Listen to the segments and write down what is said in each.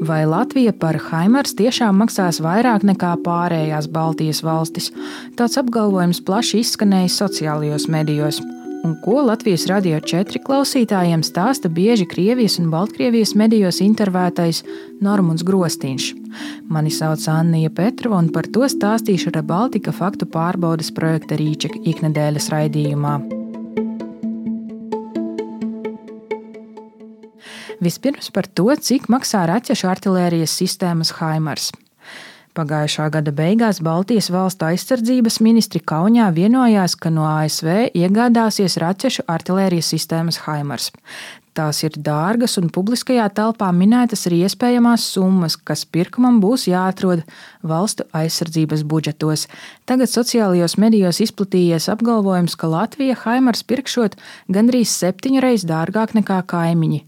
Vai Latvija par HIMARS tiešām maksās vairāk nekā pārējās Baltijas valstis? Tāds apgalvojums plaši izskanējis sociālajos medijos. Un ko Latvijas Radio 4 klausītājiem stāsta bieži Krievijas un Baltkrievijas medijos intervētais Normunds Grostīņš. Mani sauc Annija Petrova, un par to stāstīšu Rebaltika faktu pārbaudes projekta Rīča iknedēļas raidījumā. Vispirms par to, cik maksā raķešu artilērijas sistēmas HIMARS. Pagājušā gada beigās Baltijas valstu aizsardzības ministri Kaunijā vienojās, ka no ASV iegādāsies raķešu artilērijas sistēmas HIMARS. Tās ir dārgas un publiskajā telpā minētas arī iespējamās summas, kas pirkumam būs jāatrod valstu aizsardzības budžetos. Tagad sociālajos medijos izplatījies apgalvojums, ka Latvija HIMARS pirkšot gandrīz 7 reizes dārgāk nekā kaimiņi.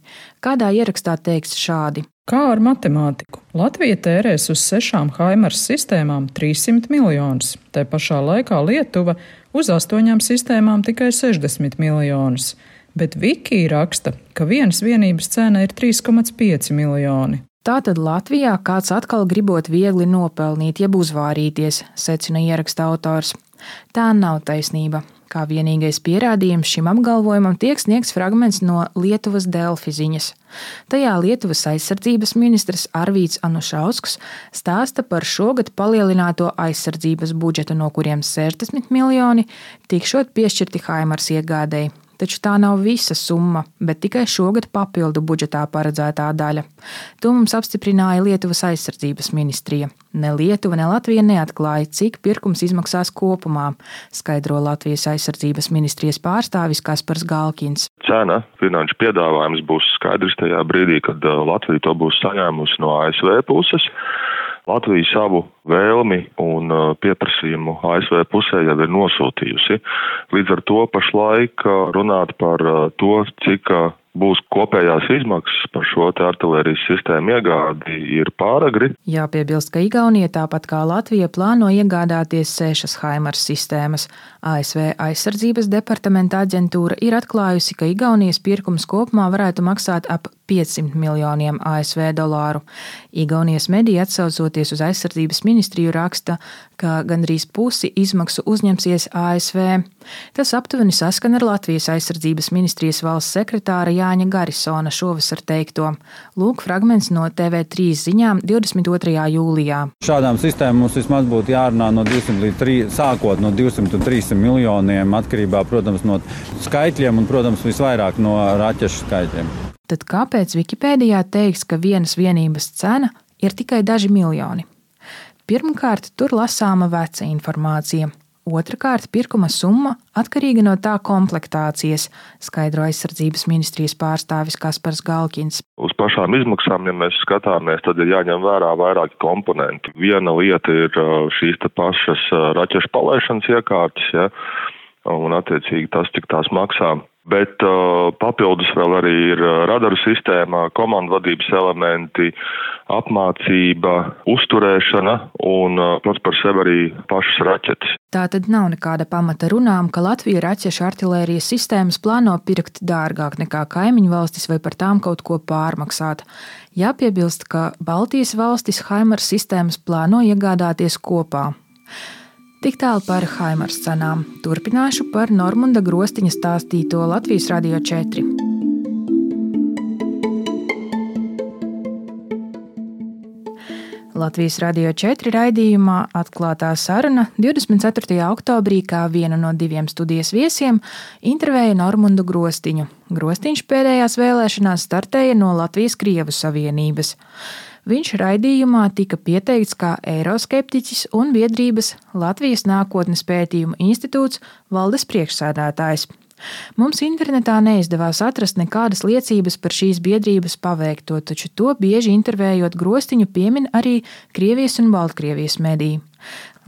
Kādā ierakstā teikts šādi. Kā ar matemātiku? Latvija tērēs uz 6 HIMARS sistēmām 300 miljonus. Te pašā laikā Lietuva uz 8 sistēmām tikai 60 miljonus. Bet Wiki raksta, ka vienas vienības cena ir 3,5 miljoni. Tātad Latvijā kāds atkal gribot viegli nopelnīt, jeb uzvārīties, secina ieraksta autors. Tā nav taisnība. Kā vienīgais pierādījums šim apgalvojumam tiek sniegts fragments no Lietuvas Delfi ziņas. Tajā Lietuvas aizsardzības ministrs Arvīds Anušausks stāsta par šogad palielināto aizsardzības budžetu, no kuriem 60 miljoni tikšot piešķirti HIMARS iegādēji. Taču tā nav visa summa, bet tikai šogad papildu budžetā paredzētā daļa. To mums apstiprināja Lietuvas aizsardzības ministrija. Ne Lietuva, ne Latvija neatklāja, cik pirkums izmaksās kopumā, skaidro Latvijas aizsardzības ministrijas pārstāvis Kaspars Galkins. Cena, finanšu piedāvājums būs skaidrs tajā brīdī, kad Latvija to būs saņēmusi no ASV puses. Latvija savu vēlmi un pieprasījumu ASV pusē jau ir nosūtījusi. Līdz ar to pašlaik runāt par to, cik būs kopējās izmaksas par šo artilērijas sistēmu iegādi, ir pāragri. Jāpiebilst, ka Igaunija tāpat kā Latvija plāno iegādāties 6 HIMARS sistēmas. ASV aizsardzības departamenta aģentūra ir atklājusi, ka Igaunijas pirkums kopumā varētu maksāt ap 500 miljoniem ASV dolāru. Igaunijas mediji atsaucoties uz aizsardzības ministriju raksta, ka gandrīz pusi izmaksu uzņemsies ASV. Tas aptuveni saskan ar Latvijas aizsardzības ministrijas valsts sekretāra Jāņa Garisona šovasar teikto. Lūk fragments no TV3 ziņām 22. jūlijā. Šādām sistēmām mums vismaz būtu jārunā no 200 līdz 300, sākot no 200 un 300 miljoniem, atkarībā, protams, no skaitļiem un, protams, visvairāk no raķešu skaitļiem. Tad kāpēc Wikipēdijā teiks, ka vienas vienības cena ir tikai daži miljoni? Pirmkārt, tur lasāma veca informācija. Otrakārt, pirkuma summa atkarīga no tā komplektācijas, skaidro aizsardzības ministrijas pārstāvis Kaspars Galkins. Uz pašām izmaksām, ja mēs skatāmies, tad ir jāņem vērā vairāki komponenti. Viena lieta ir šīs pašas raķešu palaišanas iekārtas, ja, un attiecīgi tas, cik tās maksā. Bet papildus vēl arī ir radaru sistēma, komandvadības elementi, apmācība, uzturēšana un pats par sevi arī pašas raķetes. Tā tad nav nekāda pamata runām, ka Latvija raķešu artilērijas sistēmas plāno pirkt dārgāk nekā kaimiņu valstis vai par tām kaut ko pārmaksāt. Jāpiebilst, ka Baltijas valstis HIMARS sistēmas plāno iegādāties kopā. Tik tālu par HIMARS cenām. Turpināšu par Normunda Grostīņa stāstīto Latvijas Radio 4. Latvijas Radio 4 raidījumā atklātā saruna 24. oktobrī kā vienu no 2 studijas viesiem intervēja Normundu Grostīņu. Grostīņš pēdējās vēlēšanās startēja no Latvijas Krievu Savienības. Viņš raidījumā tika pieteikts kā eiroskeptiķis un biedrības Latvijas nākotnes pētījumu institūts valdes priekšsēdētājs. Mums internetā neizdevās atrast nekādas liecības par šīs biedrības paveikto, taču to bieži intervējot Grostīņu piemin arī Krievijas un Baltkrievijas mediji.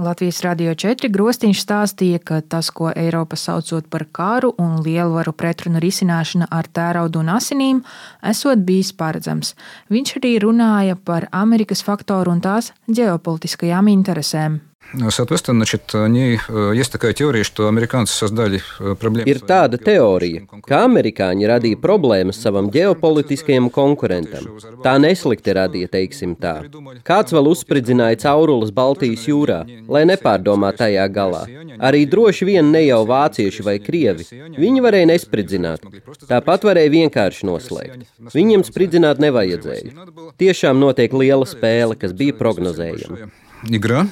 Latvijas Radio 4 Grostīņš stāstīja, ka tas, ko Eiropa saucot par karu un lielvaru pretrunu risināšana ar tēraudu un asinīm, esot bijis paredzams. Viņš arī runāja par Amerikas faktoru un tās ģeopolitiskajām interesēm. Соответственно, есть такая теория, что американцы создали проблемы. Ir tāda teorija, ka amerikāņi radīja problēmas savam ģeopolitiskajam konkurentam. Tā neslikti radīja, teiksim tā. Kāds vēl uzspridzināja caurules Baltijas jūrā, lai nepārdomā tajā galā. Arī droši vien ne jau vācieši vai krievi. Viņi varēja nespridzināt. Tāpat varēja vienkārši noslēgt. Viņiem spridzināt nevajadzēja. Tiešām notiek liela spēle, kas bija prognozējama. Игра,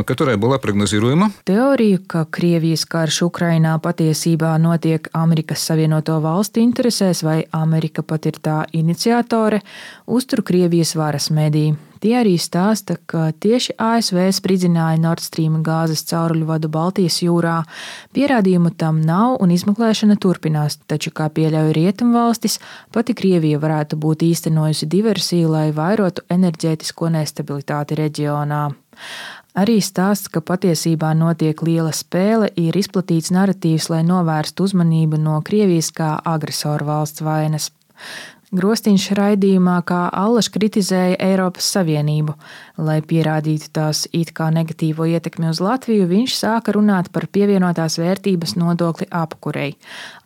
которая была прогнозируема. Teoriju, ka Krievijas karš Ukrainā patiesībā notiek Amerikas Savienoto Valstu interesēs vai Amerika pat ir tā iniciatore, uztur Krievijas varas mediji. Tie arī stāsta, ka tieši ASV spridzināja Nord Stream gāzes cauruļvadu Baltijas jūrā. Pierādījumu tam nav un izmeklēšana turpinās, taču, kā pieļauj Rietumvalstis, pati Krievija varētu būt īstenojusi diversiju, lai vairotu enerģētisko nestabilitāti reģionā. Arī stāsts, ka patiesībā notiek liela spēle, ir izplatīts naratīvs, lai novērstu uzmanību no Krievijas kā agresoru valsts vainas. Grostiņš raidījumā kā allaž kritizēja Eiropas Savienību. Lai pierādītu tās it kā negatīvo ietekmi uz Latviju, viņš sāka runāt par pievienotās vērtības nodokli apkurei.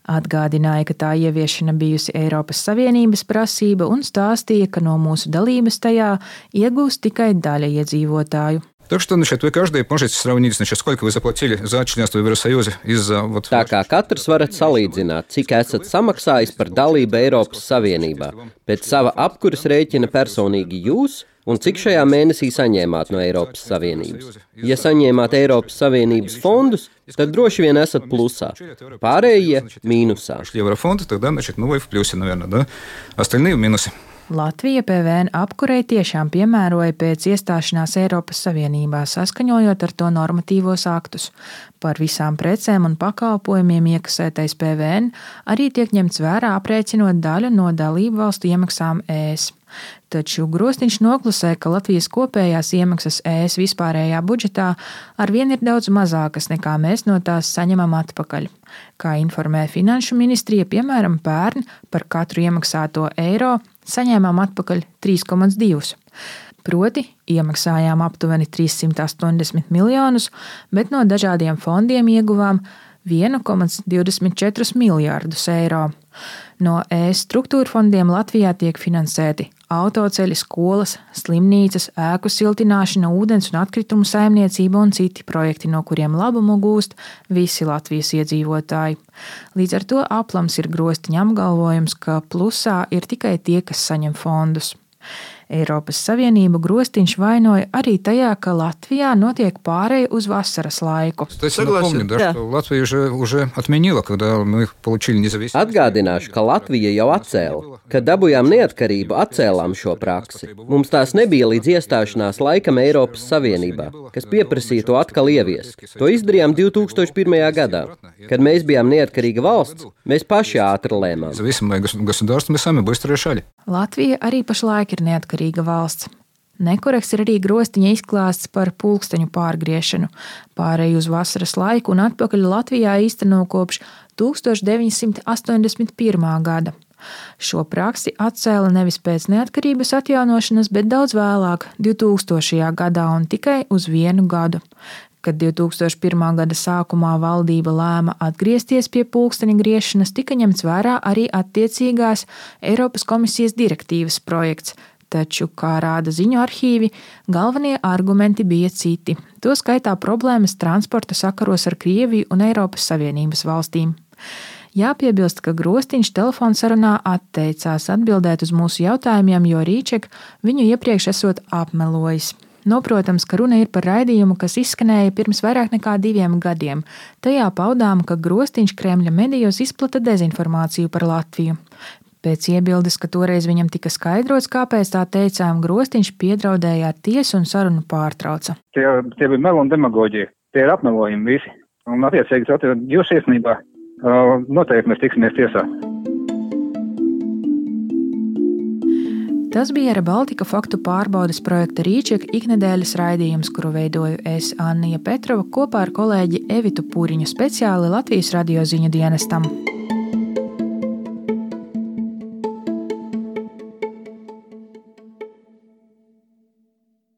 Atgādināja, ka tā ieviešana bijusi Eiropas Savienības prasība un stāstīja, ka no mūsu dalības tajā iegūst tikai daļa iedzīvotāju. Так что, вы каждый можете сравнить, сколько вы заплатили за членство в Евросоюзе из-за... Tā kā katrs varat salīdzināt, cik esat samaksājis par dalību Eiropas Savienībā, pēc sava apkuras rēķina personīgi jūs un cik šajā mēnesī saņēmāt no Eiropas Savienības. Ja saņēmāt Eiropas Savienības fondus, tad droši vien esat plusā. Pārējie mīnusā. Еврофонды, тогда, вы в плюсе, наверное, да? Остальные в минусе. Latvija PVN apkurei tiešām piemēroja pēc iestāšanās Eiropas Savienībā, saskaņojot ar to normatīvos aktus. Par visām precēm un pakalpojumiem iekasētais PVN arī tiek ņemts vērā aprēķinot daļu no dalību valstu iemaksām ES. Taču Grostiņš noklusē, ka Latvijas kopējās iemaksas ES vispārējā budžetā arvien ir daudz mazākas nekā mēs no tās saņemam atpakaļ. Kā informē Finanšu ministrija, piemēram, pērn par katru iemaksāto eiro saņēmām atpakaļ 3,2. Proti, iemaksājām aptuveni 380 miljonus, bet no dažādiem fondiem ieguvām 1,24 miljārdus eiro. No ES struktūra fondiem Latvijā tiek finansēti autoceļi, skolas, slimnīcas, ēku siltināšana, ūdens un atkritumu saimniecība un citi projekti, no kuriem labumu gūst visi Latvijas iedzīvotāji. Līdz ar to aplams ir Grostiņa apgalvojums, ka plusā ir tikai tie, kas saņem fondus. Eiropas Savienību Grostiņš vainoja arī tajā, ka Latvijā notiek pāreja uz vasaras laiku. Atgādināšu, ka Latvija jau atcēla. Kad dabūjām neatkarību, atcēlām šo praksi. Mums tās nebija līdz iestāšanās laikam Eiropas Savienībā, kas pieprasīja to atkal ieviest. To izdarījām 2001. gadā. Kad mēs bijām neatkarīga valsts, mēs paši ātri lēmām. Latvija arī pašlaik ir neatkarīga valsts. Nekorekts ir arī Grostiņa izklāsts par pulksteņu pārgriešanu. Pārēju uz vasaras laiku un atpakaļ Latvijā īsteno kopš 1981. gada. Šo praksi atcēla nevis pēc neatkarības atjaunošanas, bet daudz vēlāk, 2000. gadā un tikai uz 1 gadu. Kad 2001. gada sākumā valdība lēma atgriezties pie pulksteņa griešanas, tika ņemts vērā arī attiecīgās Eiropas komisijas direktīvas projekts, taču, kā rāda ziņu arhīvi, galvenie argumenti bija citi. To skaitā problēmas transporta sakaros ar Krieviju un Eiropas Savienības valstīm. Jāpiebilst, ka Grostiņš telefonsarunā atteicās atbildēt uz mūsu jautājumiem, jo Rīček viņu iepriekš esot apmelojis. Noprotams, ka runa ir par raidījumu, kas izskanēja pirms vairāk nekā 2 gadiem. Tajā paudām, ka Grostiņš Kremļa medijos izplata dezinformāciju par Latviju. Pēc iebildes, ka toreiz viņam tika skaidrots, kāpēc tā teicām, Grostiņš piedraudēja ar tiesu un sarunu pārtrauca. Tie bija meli un demagoģija. Tie ir apmelojumi visi. Un attiecīgi, jūsu iesnībā noteikti mēs tiksimies tiesā. Tas bija Air Baltica faktu pārbaudes projekta Rīčeka iknedēļas raidījums, kuru veidoju es, Annija Petrova, kopā ar kolēģi Evitu Pūriņu speciāli Latvijas radio ziņu dienestam.